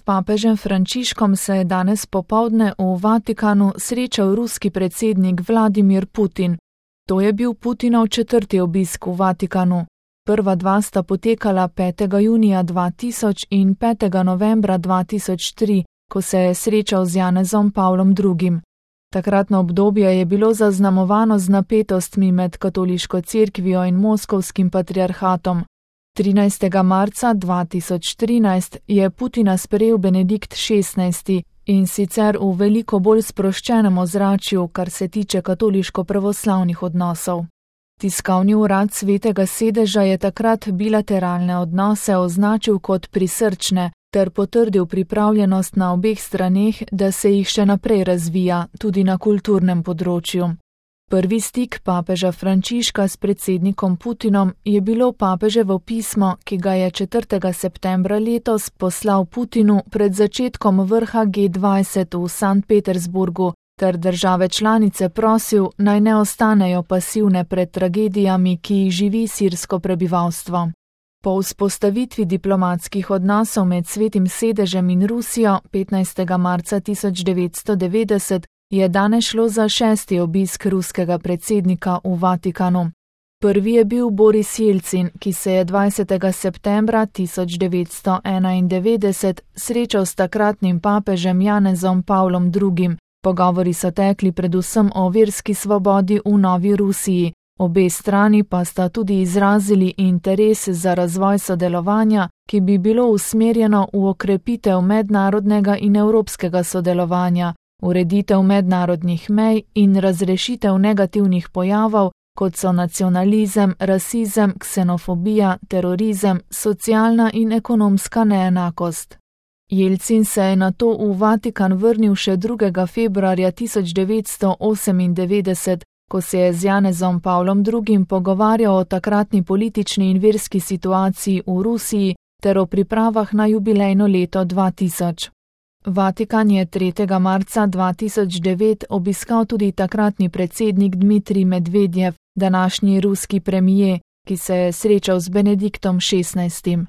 papežem Frančiškom se je danes popoldne v Vatikanu srečal ruski predsednik Vladimir Putin. To je bil Putinov 4. obisk v Vatikanu. Prva dva sta potekala 5. junija 2000 in 5. novembra 2003, ko se je srečal z Janezom Pavlom II. Takratno obdobje je bilo zaznamovano z napetostmi med katoliško cerkvijo in moskovskim patriarhatom. 13. marca 2013 je Putina sprejel Benedikt XVI in sicer v veliko bolj sproščenem ozračju, kar se tiče katoliško-pravoslavnih odnosov. Tiskovni urad Svetega sedeža je takrat bilateralne odnose označil kot prisrčne ter potrdil pripravljenost na obeh straneh, da se jih še naprej razvija, tudi na kulturnem področju. Prvi stik papeža Frančiška s predsednikom Putinom je bilo papeževo pismo, ki ga je 4. septembra letos poslal Putinu pred začetkom vrha G20 v Sankt Petersburgu, ter države članice prosil, naj ne ostanejo pasivne pred tragedijami, ki jih živi sirsko prebivalstvo. Po vzpostavitvi diplomatskih odnosov med Svetim sedežem in Rusijo 15. marca 1990 je danes šlo za 6. obisk ruskega predsednika v Vatikanu. Prvi je bil Boris Jelcin, ki se je 20. septembra 1991 srečal s takratnim papežem Janezom Pavlom II. Pogovori so tekli predvsem o verski svobodi v Novi Rusiji, obe strani pa sta tudi izrazili interes za razvoj sodelovanja, ki bi bilo usmerjeno v okrepitev mednarodnega in evropskega sodelovanja, ureditev mednarodnih mej in razrešitev negativnih pojavov, kot so nacionalizem, rasizem, ksenofobija, terorizem, socialna in ekonomska neenakost. Jelcin se je nato v Vatikan vrnil še 2. februarja 1998, ko se je z Janezom Pavlom II. Pogovarjal o takratni politični in verski situaciji v Rusiji ter o pripravah na jubilejno leto 2000. Vatikan je 3. marca 2009 obiskal tudi takratni predsednik Dmitrij Medvedjev, današnji ruski premijer, ki se je srečal z Benediktom XVI.